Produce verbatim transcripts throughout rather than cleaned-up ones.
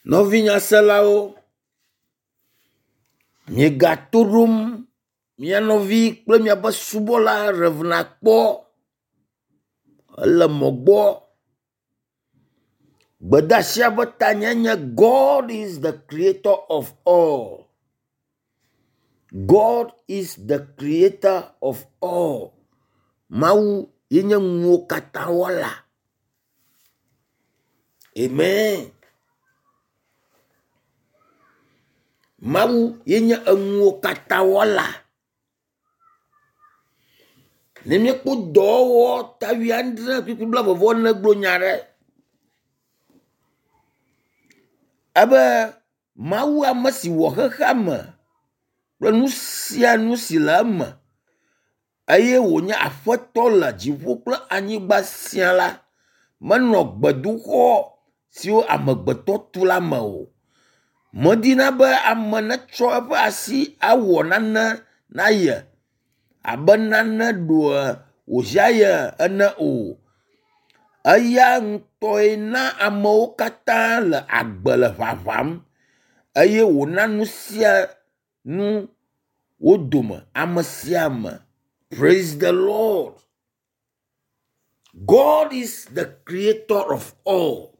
Nɔvinyaselawo, miegato ɖom mia nɔvi kple miaƒe subɔla Rev. Akpɔ ele mɔ gbɔ. Gbedeasia ƒe tanya nye God is the creator of all. God is the creator of all. Mawu ye nye nuwo katã wɔla. Amen. Mawu ye nye enuwo katã wɔla. Ne míekpɔ dɔwɔwɔ ta wuiadre kpukpui blaeve-vɔ-ene gblɔ nya ɖe ebe Mawu ame si wɔ xexea me kple nu sia nu si le eme eye wònye aƒetɔ le dziƒo kple anyigba sia la, menɔ gbedoxɔ siwo amegbetɔ tu la me o. Medina be ame netsɔ eƒe asi awɔ nane na ye abe nane ɖoe wòhiã ye ene o. Eya ŋutɔe na amewo katã le agbe le ʋaʋam eye wòna nu sia nu wo dome ame sia ame. Praise the Lord. God is the creator of all.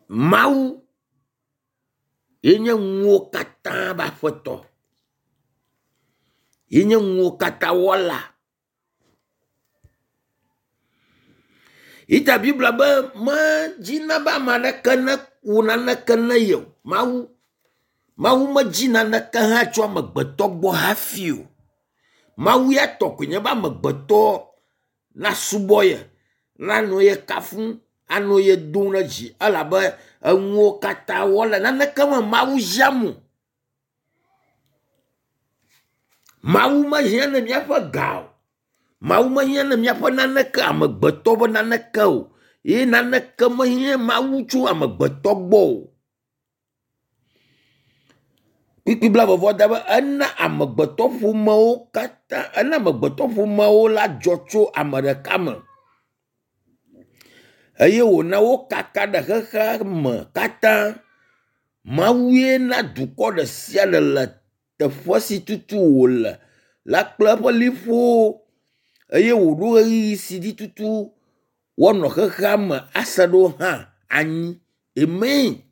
Mawu ye nye nuwo katã ƒe aƒetɔ. Ye nye nuwo katã wɔla. Yita Biblia be medzina be ame aɖeke neku naneke ne ye o. Mawu Mawu medzi naneke hã tso amegbetɔ gbɔ hafi o. Mawu ya tɔ koe nye be amegbetɔ nasubɔ ye, nanɔ ye kafum, anɔ ye dom ɖe dzi elabe enuwo katã wɔla naneke me Mawu hiãm o. Mawu mehiã ne míaƒe ga o. Mawu mehiã ne míaƒe naneke amegbetɔ ƒe naneke o. Ye naneke mehiã Mawu tso amegbetɔ gbɔ o. Kpukpui blaeve-vɔ da be ena amegbetɔ ƒomewo katã ena amegbetɔ ƒomewo la dzɔ tso ame ɖeka me eye wòna wo kaka ɖe xexea me katã. Mawue na dukɔ ɖe sia ɖe le teƒe si tutu wòle la kple eƒe liƒowo eye wòɖo ɣeyiɣi si dzi tutu woanɔ xexea me ase ɖo hã anyi. Amen.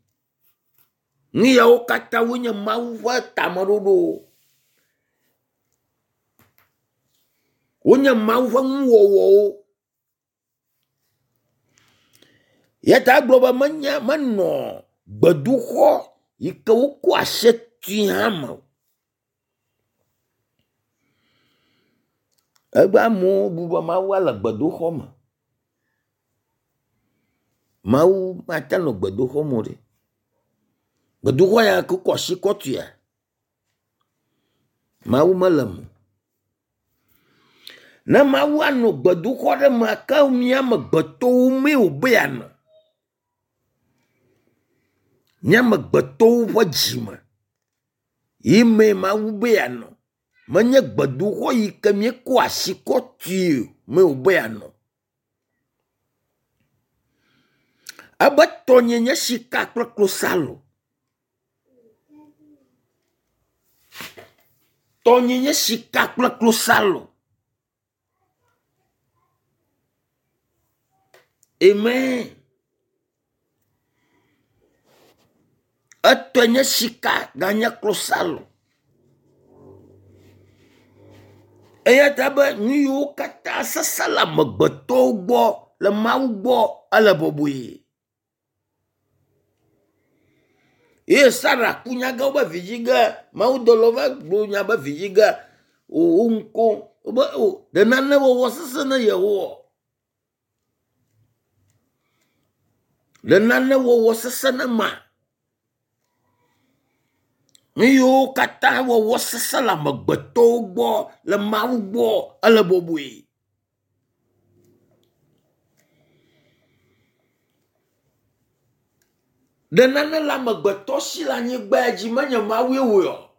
Nu yawo katã wonye Mawu ƒe tameɖoɖowo. Wonye Mawu ƒe nuwɔwɔwo. Ya ta egblɔ be menye menɔ gbedoxɔ yi ke wokɔ asi tui hã me o. Egbe amewo bu be Mawua le gbedoxɔ me. Mawu mate nɔ gbedoxɔ me o ɖe. Gbedoxɔ ya ke wokɔ asi kɔ tuia, Mawu mele eme o. Ne Mawu anɔ gbedoxɔ ɖe mea, ke mía amegbetɔwo mee wòbe yeanɔ. Mía amegbetɔwo ƒe dzime ye mee Mawu be yeanɔ. Menye gbedoxɔ yi ke míekɔ asi kɔ tui mee wòbe yeanɔ. Ebe tɔnye nye sika kple klosalo. Tɔnye nye sika kple klosalo. Amen. Etɔe nye sika ganye klosalo. Eya ta be nu yiwo katã sesẽ le amegbetɔwo gbɔ le Mawu gbɔ ele bɔbɔe. Ye Sara ku nyagã wobe vidzi ge mawudɔlawo va gblɔ nya be vidzi ge wo ŋko wobe o ɖe nane wɔwɔ sesẽ ne Yehowa. Ɖe nane wɔwɔ sesẽ ne ma. Nu yiwo katã wɔwɔ sesẽ le amegbetɔwo gbɔ le Mawu gbɔ ele bɔbɔe. Ɖe nane le amegbetɔ si le anyigba dzi menye Mawue wɔe o.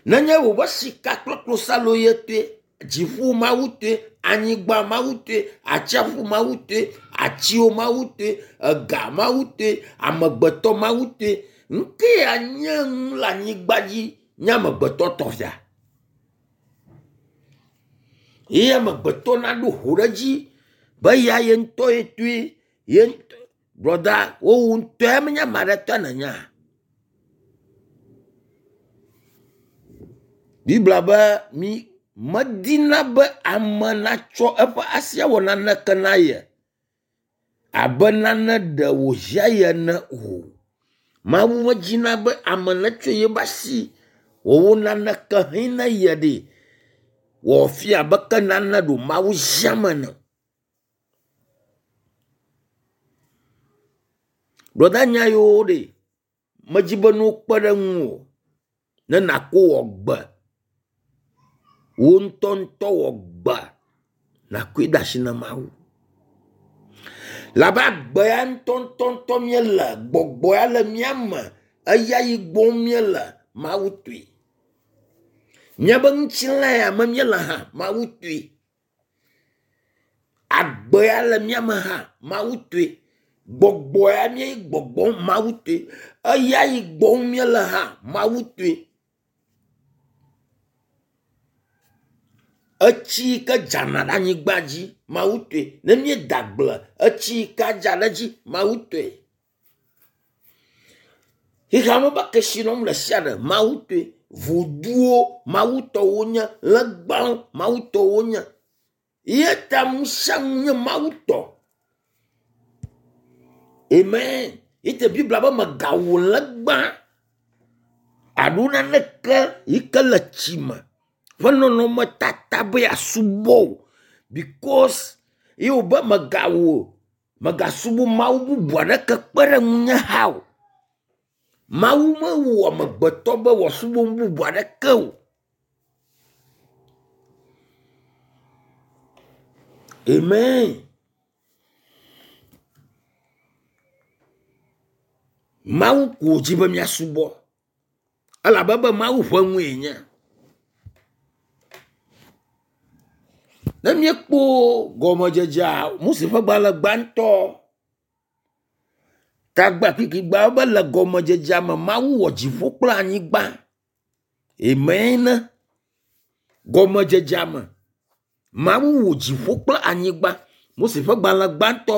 Nenye wò be sika kple klosalo ye toe. Dziƒo Mawu tɔe, anyigba Mawu tɔe, atsiaƒu Mawu tɔe, atiwo Mawu tɔe, ega Mawu tɔe, amegbetɔ Mawu tɔe. Nu ke ya nye nu le anyigba dzi nye amegbetɔ tɔ fia. Ye amegbetɔ naɖo ho ɖe edzi be ya ye ŋutɔ ye tɔe ye ŋutɔ brɔda wowu ŋutɔe menye ame aɖe tɔ nènyea. Biblia be mi medina be ame natsɔ eƒe asi awɔ naneke na ye abe nane ɖe wòhiã ye ene o. Mawu medina be ame netsɔ yeƒe asi wɔwɔ naneke hɛ na ye ɖe wòafia abe ke nane ɖo Mawu ziam ene. Brɔda nya yiwo ɖe medzi be ne wokpe ɖe ŋuwò ne nàko wɔ gbe wò ŋutɔŋutɔ wɔ gbe nàkoe de asi na Mawu. Labe agbe ya ŋutɔŋutɔŋutɔ míele, gbɔgbɔ ya le mía me, eya yi gbɔm míele, Mawu tɔe. Míabe ŋutilã ya me míele hã, Mawu tɔe. Agbe ya le mía me hã, Mawu tɔe. Gbɔgbɔ ya mía gbɔgbɔm, Mawu tɔe. Eya yi gbɔm míele hã, Mawu tɔe. Etsi yi ke dzana ɖe anyigba dzi, Mawu tɔe. Ne míeda agble, etsi yi ke adza ɖe edzi, Mawu tɔe. Xexea me be kesinɔnu ɖe sia ɖe, Mawu tɔe. Voduwo, Mawu tɔ wonye. Legbawo, Mawu tɔ wonye. Ye ta nu sia nu nye Mawu tɔ. Amen. Ye te Biblia be mègawɔ legba alo naneke yi ke le tsi me ƒe nɔnɔmetata be yeasubɔ o because ye wòbe mègawɔ mègasubɔ Mawu bubu aɖeke kpe ɖe ŋunye hã o. Mawu mewɔ amegbetɔ be wòasubɔ nu bubu aɖeke o. Amen. Mawu ko wòdzi be míasubɔ elabe be Mawu ƒe nue nye. Ne míekpɔ gɔmedzedzea Mose ƒe gbalẽ gbãtɔ tagba kpikpigba be le gɔmedzedzea me Mawu wɔ dziƒo kple anyigba. Amen. Gɔmedzedzea me Mawu wɔ dziƒo kple anyigba. Mose ƒe gbalẽ gbãtɔ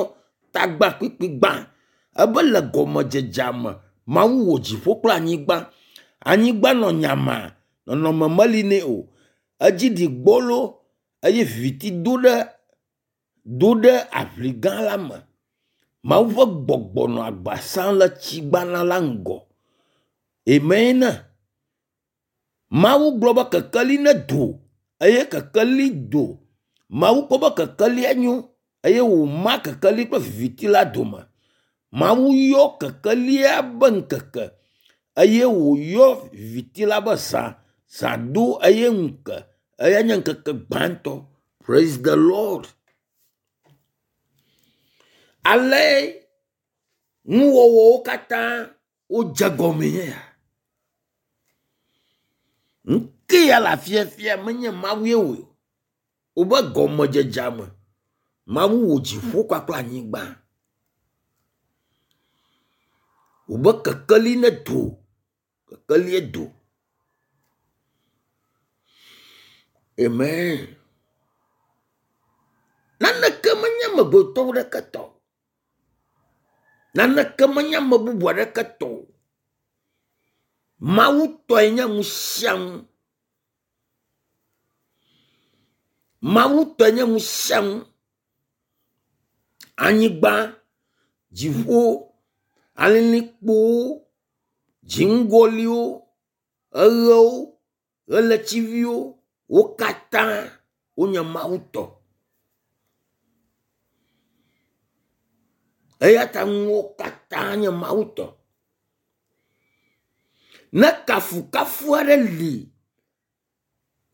tagba kpikpigba ebe le gɔmedzedzea me Mawu wɔ dziƒo kple anyigba. Anyigba nɔ nyama, nɔnɔme meli nɛ o. Edzi ɖi gbɔlo eye viviti do ɖe do ɖe aʋli gã la me. Mawu ƒe gbɔgbɔ nɔ agba sam le tsigbana la ŋgɔ. Amen. Mawu gblɔ be kekeli nedo eye kekeli do. Mawu kpɔ be kekelia nyo eye wòma kekeli kple viviti la dome. Mawu yɔ kekelia be ŋkeke eye wòyɔ viviti la be zã. Zã do eye ŋu ke. Eya nye ŋkeke gbãtɔ. Praise the Lord. Ale nuwɔwɔwo katã wodze gɔmee nye ya. Nu ke ya le afia fia menye Mawu ye wɔe o. Wobe gɔmedzedzea me Mawu wɔ dziƒo kpakple anyigba. Wobe kekeli nedo, kekelie do. Amen. Naneke menye amegbetɔ ɖeke tɔ o. Naneke menye ame bubu aɖeke tɔ o. Mawu tɔe nye nu sia nu. Mawu tɔe nye nu sia nu. Anyigba, dziƒo, alilikpowo, dziŋgɔliwo, eɣewo, ɣletiviwo, wo katã wonye Mawu tɔ. Eya ta nuwo katã nye Mawu tɔ. Ne kafukafu aɖe li,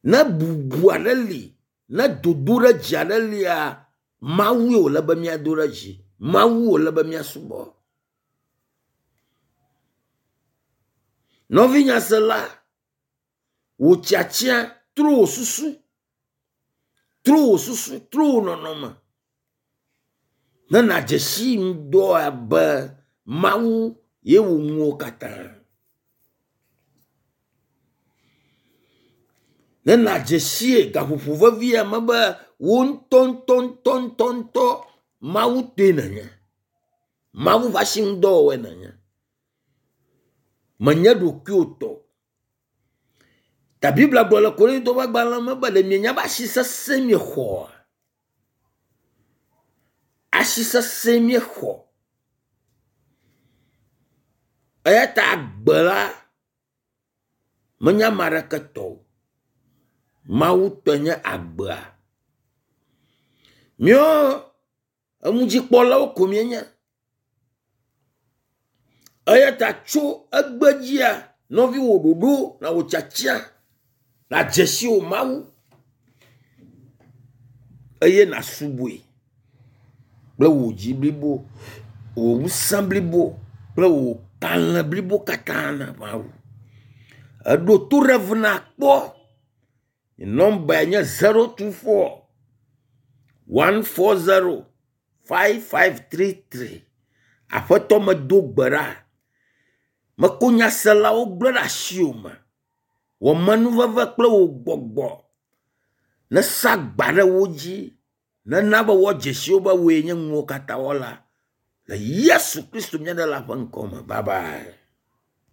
ne bubu aɖe li, ne dodoɖedzi aɖe lia, Mawue wòle be míado ɖe dzi. Mawu wòle be míasubɔ. Nɔvinyasela, wò tiatia trɔ wò susu. Trɔ wò susu, trɔ wò nɔnɔme. Ne nàdze si ŋdɔa be Mawu ye wɔ nuwo katã. Ne nàdze sie gaƒoƒo vevi ya me be wò ŋutɔŋutɔŋutɔŋutɔ Mawu tɔe nènye. Mawu ƒe asinudɔwɔwɔe nènye. Menye ɖokuiwò tɔ o. Ta Biblia gblɔ le Korintɔ ƒe agbalẽ me be ɖe mienya be asi sesẽ miexɔa? Asi sesẽ miexɔ. Eya ta agbe la menye ame aɖeke tɔ o. Mawu tɔe nye agbea. Míawo enudzikpɔlawo ko míenye. Eya ta tso egbe dzia, nɔvi wò ɖoɖo na wò tiatia nàdze si wò Mawu eye nàsubɔe kple wò dzi blibo, wò ŋusẽ blibo kple wò kalẽ blibo katã na Mawu. Eɖo to Rev. Nakpɔ. Nɔmbae nye zero two four one four zero five five three three. Aƒetɔ medo gbe ɖa. Meko nyaselawo gblẽ ɖe asiwò me. Wɔ menuveve kple wò gbɔgbɔ nesa agba ɖe wo dzi nena be woadze si wo be wòe nye nuwo katã wɔla. Le Yesu Kristo mía Ɖela ƒe ŋkɔ me. Bye bye.